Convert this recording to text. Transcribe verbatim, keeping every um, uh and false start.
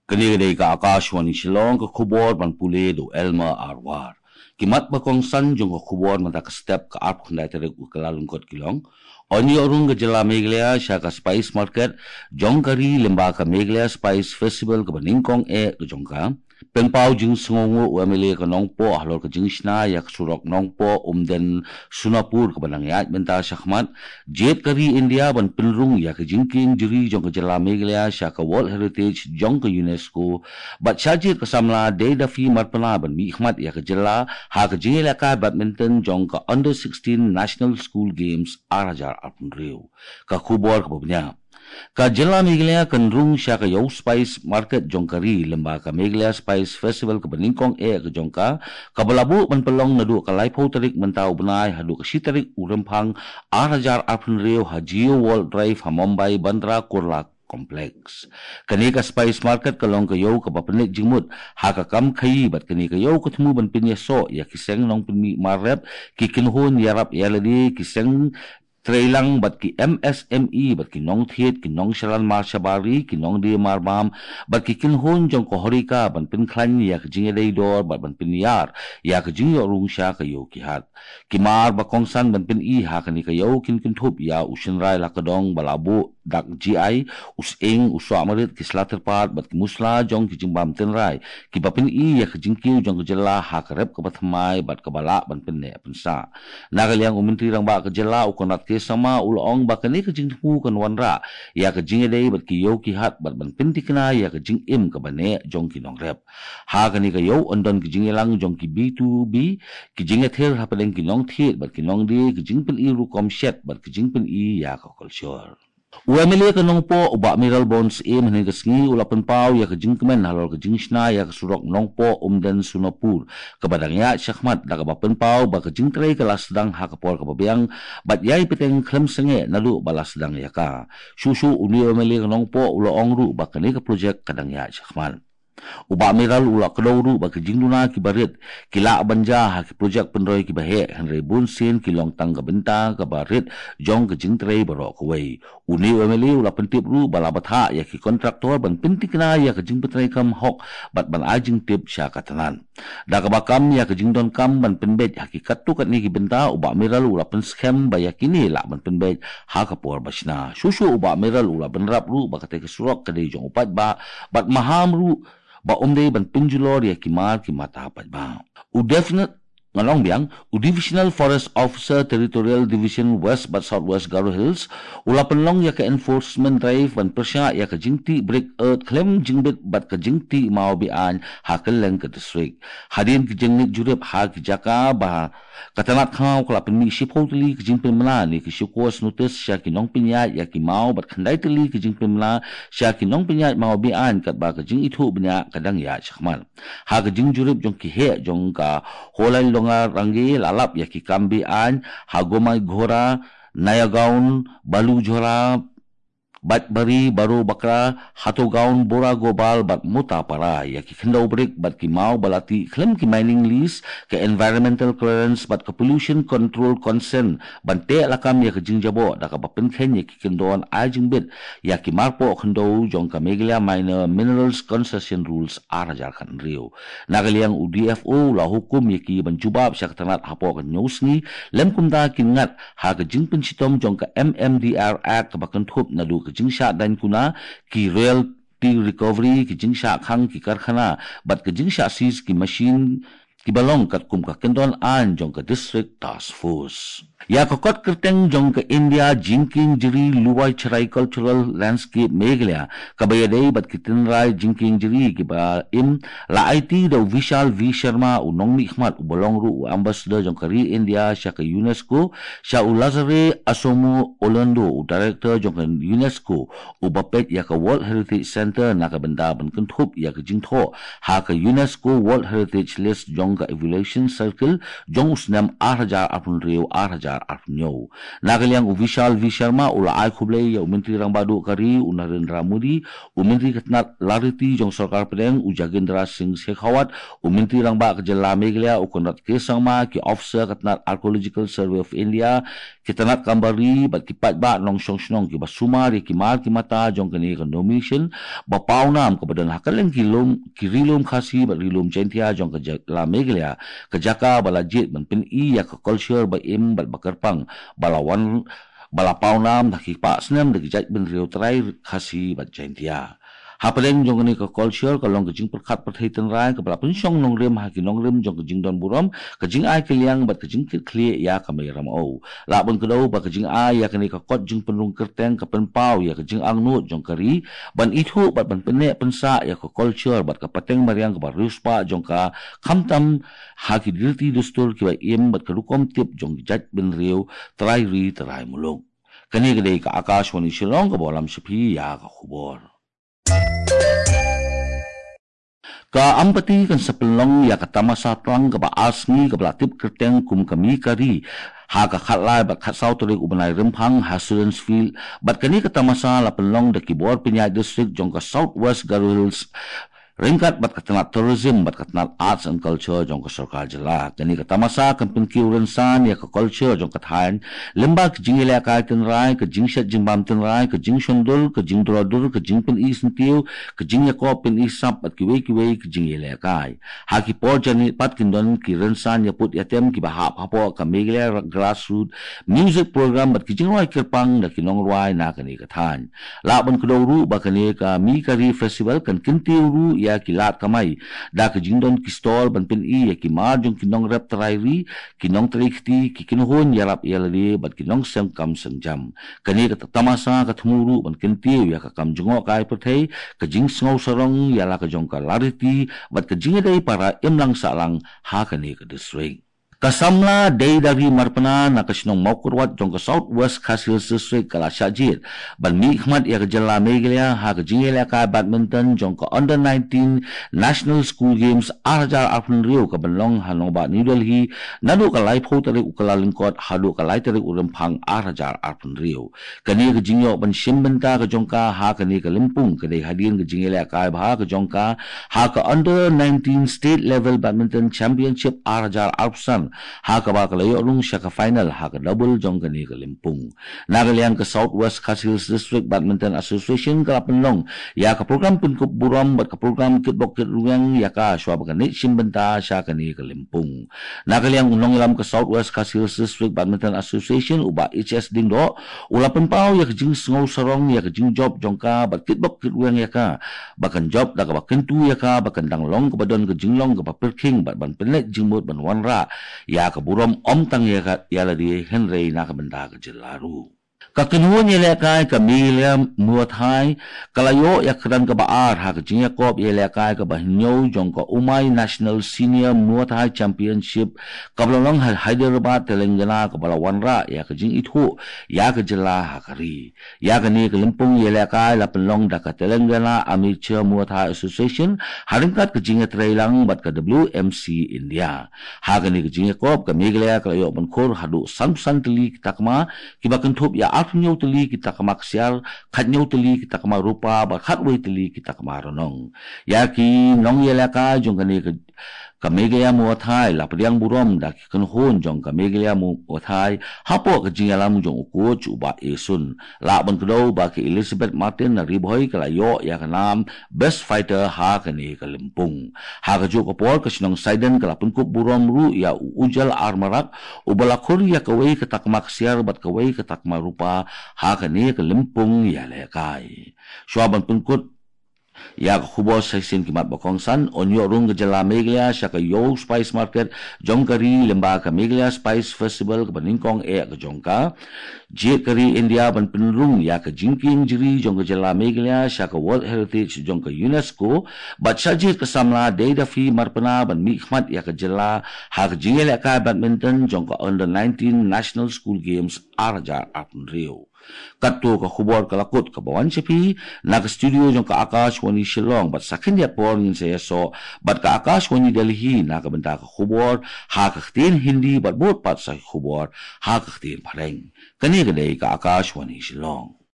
Kane ka dei ka Akashvani Shillong, ka khubor ban pule da u Elmer Arwar. Ki mat ba kongsan jong ka khubor mynta ka step ka arphew khyndai tarik u Kyllalyngkot ki long: Yn ïoh rung ka jylla Meghalaya sha ka Spice Market jong ka ri lyngba ka Meghalaya Spice Festival kaba nyngkong eh ka jong ka. Pynpaw jingsngewnguh u M L A ka Nongpoh halor ka jingshna ïa ka surok Nongpoh Umden Sonapur kaba dang ïaid bynta shakhmat. Jied ka ri India ban pynrung ïa ka jingkieng jri jong ka jylla Meghalaya sha ka World Heritage jong ka UNESCO. Bad sha jied ka samla Dei Duffy Marpna ban mihkhmat ïa ka jylla ha ka jingïalehkai badminton jong ka Under sixteen National School Games ar hajar arphew hynriew. Ka khubor kaba bniah. Ka jylla Meghalaya kan rung sha ka ïew Spice Market jong ka ri lyngba ka Meghalaya Spice Festival kaba nyngkong eh ka jong ka, kaba la buh ban pynlong naduh ka laiphew tarik mynta u bnai haduh ka shi tarik u Rymphang ar hajar arphew hynriew ha Jio World Drive ha Mumbai Bandra Kurla Complex. Kane ka Spice Market ka long ka ïew kaba pynleit jingmut ha ka kam khaïi bad kane ka ïew ka thmu ban pynïasoh ïa ki seng nongpynmih mar rep, ki kynhun ïarap ïalade, ki seng treilang bad ki M S M E bad ki nongthied, ki nongshalan mar shabar ri, ki nongdie marbam bad ki kynhun jong ka HoReCa ban pynkhlaiñ ïa ka jingïadei dor bad ban pynïar ïa ka jingïoh rung sha ka ïew ki hat. Ki mar ba kongsan ban pyni ha kane ka ïew kin kynthup ïa u shynrai la ka dong ba la buh dak G I, u sying, u soh marit, ki sla tyrpad bad ki musla jong ki jingbam tynrai kiba pyni ïa ka jingkiew jong ka jylla ha ka rep kaba thymmai bad kaba lah ban pynneh pynsah. Na ka liang u Myntri Rangbah ka jylla u Conrad K Sangma u la ong ba kane ka jingthmu kan wanrah ïa ka jingïadei bad ki ïew ki hat bad ban pynthikna ïa ka jingim kaba neh jong ki nongrep. Ha kane ka ïew yn don ki jingïalang jong ki B two B, ki jingïathir hapdeng ki nongthied bad ki nongdie, ki jingpyni rukom shet bad ki jingpyni ïa ka culture. U M L A ka Nongpoh u Bah Mayralborn Syiem hynne ka sngi u la pynpaw ïa ka jingkmen halor ka jingshna ïa ka surok Nongpoh Umden Sonapur kaba dang ïaid shakhmat, da kaba pynpaw ba ka jingtrei ka la sdang ha ka por kaba biang bad ïai bteng khlem sangeh naduh ba la sdang ïa ka. Shuh shuh une u M L A ka Nongpoh u la ong ruh ba kane ka projek ka dang ïaid shakhmat. U Bah Mayral u la kdew ruh ba ki jingduna kiba rit ki lah ban jia ha ki projek pynroi kiba heh, hynrei bunsien ki long tang ka bynta kaba rit jong ka jingtrei baroh kawei. Une u M L A u la pyntip ruh ba la bthah ïa ki kontraktor ban pynthikna ïa ka jingpyntreikam hok bad ban ai jingtip sha ka tnat. Da kaba kam ïa ka jingdonkam ban pynbeit ha ki katto katne ki bynta, u Bah Mayral u la pynskhem ba ïa kine lah ban pynbeit ha ka por ba shna. Shuh shuh u Bah Mayral u la bynrap ruh ba katei ka surok ka dei jong u paidbah bad maham ruh ba um dei ban pynjulor ïa ki mar ki mata paidbah. U Definite Ngan ong biang, u Divisional Forest Officer, Territorial Division West bad South West Garo Hills u la pynlong ïa ka enforcement drive ban pyrshah ïa ka jingtih brick earth khlem jingbit bad ka jingtih maw be-aiñ ha kylleng ka district. Hadien ki jingngeit jurip ha ki jaka ba ka tnat khlaw ka la pynmih shiphew tylli ki jingpynbna ne ki show cause notice sha ki nongpynïaid ïa ki maw bad khyndai tylli ki jingpynbna sha ki nongpynïaid maw be-aiñ, katba ka jingithuh bniah ka dang ïaid shakhmat. Ha ka jingjurip jong ki heh jong ka Hoilai Longarangi la lap ïa ki kam be-aiñ ha Gomaighora, Nayagaon, Balujhora, Baitbari, Barobakra, Hatogaon, Boragobal bad Motapara. Ïa ki khyndew brick bad ki maw ba la tih khlem ki mining lease, ka environmental clearance bad ka pollution control consent ban teh lakam ïa ka jingjaboh, da kaba pynkheiñ ïa ki kyndon ai jingbit ïa ki marpoh khyndew jong ka Meghalaya Minor Minerals Concession Rules ar hajar khathynriew. Na ka liang u D F O u la hukum ïa ki ban jubab sha ka tnat hapoh ka hynñiew sngi, lym kumta kin ngat ha ka jingpynshitom jong ka M M D R Act kaba kynthup naduh ka jingshah daiñ kuna, ki royalty recovery, ki jingshah khang ki karkhana bad ka jingshah seize ki machine kiba long katkum ka kyndon aiñ jong ka District Task Force. Ïa ka kot kyrteng jong ka India Jingkieng Jri Luwai Cherai Cultural Landscape Meghalaya, kaba ïadei bad ki tynrai jingkieng jri kiba im, la aiti da u Vishal V Sharma, u nongmihkhmat uba long ruh u ambassador jong ka ri India sha ka UNESCO, sha u Lazare Asomo Olondo, u director jong ka UNESCO, uba peit ïa ka World Heritage Centre, na ka bynta ban kynthup ïa ka jingthoh ha ka UNESCO World Heritage List jong ka evaluation circle jong u snem ar hajar arphew hynriew ar hajar arphew hynñiew. Na ka liang u Vishal V Sharma u la ai khublei ïa u Myntri Rangbah Duh ka ri u Narendra Modi, u Myntri ka tnat lariti jong sorkar pdeng u Gajendra Singh Shekhawat, u Myntri Rangbah ka jylla Meghalaya u Conrad K Sangma, ki officer ka tnat Archaeological Survey of India, ki tnat kam bari bad ki paidbah nongshong shnong kiba sumar ïa ki mar ki mata jong kane ka nomination ba pawnam kaba don ha kylleng ki lum, ki ri lum Khasi bad ri lum Jaintia jong ka jylla Meghalaya, ka jaka ba la jied ban pyni ïa ka culture ba im bad ba kyrpang ba la wan, ba la pawnam ha ki spah snem da ki jaitbynriew trai Khasi bad Jaintia. Hapdeng jong kane ka culture ka long ka jingpyrkhat pyrthei tynrai kaba la pynshong nongrim ha ki nongrim jong ka jingdon burom, ka jingai kylliang bad ka jingkitkhlieh ïa ka mei ramew. Lah ban kdew ba ka jingai ïa kane ka kot jingpynrung kyrteng ka pynpaw ïa ka jingangnud jong ka ri ban ithuh bad ban pynneh pynsah ïa ka culture bad ka pateng mariang kaba riewspah jong ka, khamtam ha ki riti dustur kiba im bad ka rukom tip jong ki jaitbynriew trai ri trai muluk. Kane ka dei ka Akashvani Shillong kaba lam sha phi ïa ka khubor. Ka Ampati kan sa pynlong ïa ka tamasa tlang kaba ar sngi kaba la tip kyrteng kum ka Mi Kari ha ka khatlai bad khatsaw tarik u bnai Rymphang ha Students' Field, bad kane ka tamasa la pynlong da ki bor pynïaid district jong ka South West Garo Hills ryngkat bad ka tnat Tourism bad ka tnat Arts and Culture jong ka sorkar jylla. Kane ka tamasa kan pynkiew rynsan ïa ka culture jong ka thaiñ lyngba ka jingïalehkai tynrai, ka jingshet jingbam tynrai, ka jingshon dur, ka jingdro dur, ka jingpyni syntiew, ka jingïakop pyni sap bad kiwei kiwei ki jingïalehkai. Ha ki por janmiet pat kin don ki rynsan ïaput ïatem kiba hap hapoh ka Meghalaya Grassroot Music Program bad ki jingrwai kyrpang da ki nongrwai na kane ka thaiñ. Lah ban kdew ruh ba kane ka Mi Kari Festival kan kyntiew ruh ïa ki lad kamai da ka jingdon ki stall ban pyni ïa ki mar jong ki nongrep trai ri, ki nongtrei kti, ki kynhun ïarap ïalade bad ki nongseng kam seng jam. Kane ka tamasa ka thmu ruh ban kyntiew ïa ka kam jngohkai pyrthei, ka jingsngew sarong ïa la ka jong ka lariti bad ka jingïadei para imlang sahlang ha kane ka district. Ka samla Deidari Marpna na ka shnong Mawkyrwat jong ka South West Khasi Hills District ka la shah jied ban mihkhmat ïa ka jylla Meghalaya ha ka jingïalehkai badminton jong ka Under nineteen National School Games ar hajar arphew hynriew ka ban long ha nongbah New Delhi naduh ka laiphew tarik u Kyllalyngkot haduh ka lai tarik u Rymphang ar hajar arphew hynriew. Kane ka jingïoh ban shim bynta ka jong ka ha kane ka lympung ka dei hadien ka jingïalehkai bha ka jong ka ha ka Under nineteen State Level Badminton Championship ar hajar arphew san, ha kaba ka la ïoh rung sha ka final ha ka double jong kane ka lympung. Na ka liang ka South West Khasi Hills District Badminton Association ka la pynlong ïa ka program pynkup burom bad ka program kitbok kitrwiang ïa ka shuwa ba kan leit shim bynta sha kane ka lympung. Na ka liang u nongïalam ka South West Khasi Hills District Badminton Association u Bah H S Diengdoh u la pynpaw ïa ka jingsngew sarong ïa ka jingjop jong ka bad kitbok kitrwiang ïa ka ba kan jop da kaba kyntu ïa ka ba kan dang long kaba don ka jinglong kaba pyrkhing bad ban pynleit jingmut ban wanrah ïa ka burom ym tang ïa ka ïa lade hynrei na ka bynta ka jylla ruh. Ka kynhun ïalehkai ka Meghalaya Muay Thai ka la ïoh ïa ka kyrdan kaba ar ha ka jingïakop ïalehkai kaba hynñiew jong ka Umai National Senior Muay Thai Championship kaba la long ha Hyderabad, Telangana, kaba la wanrah ïa ka jingithuh ïa ka jylla ha ka ri. Ïa kane ka lympung ïalehkai la pynlong da ka Telangana Amateur Muay Thai Association ha ryngkat ka jingïatreilang bad ka W M C India. Ha kane ka jingïakop ka Meghalaya ka la ïoh ban khur haduh sanphew san tylli ki takma, kiba kynthup ïa arphew hynñiew tylli ki takma ksiar, khathynñiew tylli ki takma rupa bad khatwei tylli ki takma rnong. Ïa ki nongïalehkai jong kane ka, ka Meghalaya Muay Thai la pdiang burom da ki kynhun jong ka Meghalaya Muay Thai hapoh ka jingïalam jong u coach u Bah Esun. Lah ban kdew ba ka Elizabeth Martin na Ri Bhoi ka la ïoh ïa ka nam Best Fighter ha kane ka lympung. Ha kajuh ka por ka shnong Saiden ka la pynkup burom ruh ïa u Ujjal R Marak uba la khur ïa kawei ka takma ksiar bad kawei ka takma rupa ha kane ka lympung ïalehkai. Shuwa ban pynkut ïa ka khubor sa shisien ki mat ba kongsan, yn ïoh rung ka jylla Meghalaya sha ka Yow Spice Market jong ka ri lyngba ka Meghalaya Spice Festival kaba nyngkong eh ka jong ka. Jied ka ri India ban pynrung ïa ka jingkieng jri jong ka jylla Meghalaya sha ka World Heritage jong ka UNESCO, bad shah jied ka samla Deidaphy Marpna ban mihkhmat ïa ka jylla ha ka jingïalehkai badminton jong ka Under nineteen National School Games ar hajar arphew hynriew. Katto ka khubor ka la kut kaba wan sha phi na ka studio jong ka Akashvani Shillong, bad sa khyndiat por ngin sa ïasoh bad ka Akashvani Delhi na ka bynta ka khubor ha ka ktien Hindi bad bud pat sa ki khubor ha ka ktien Phareng. Kane ka dei ka Akashvani Shillong.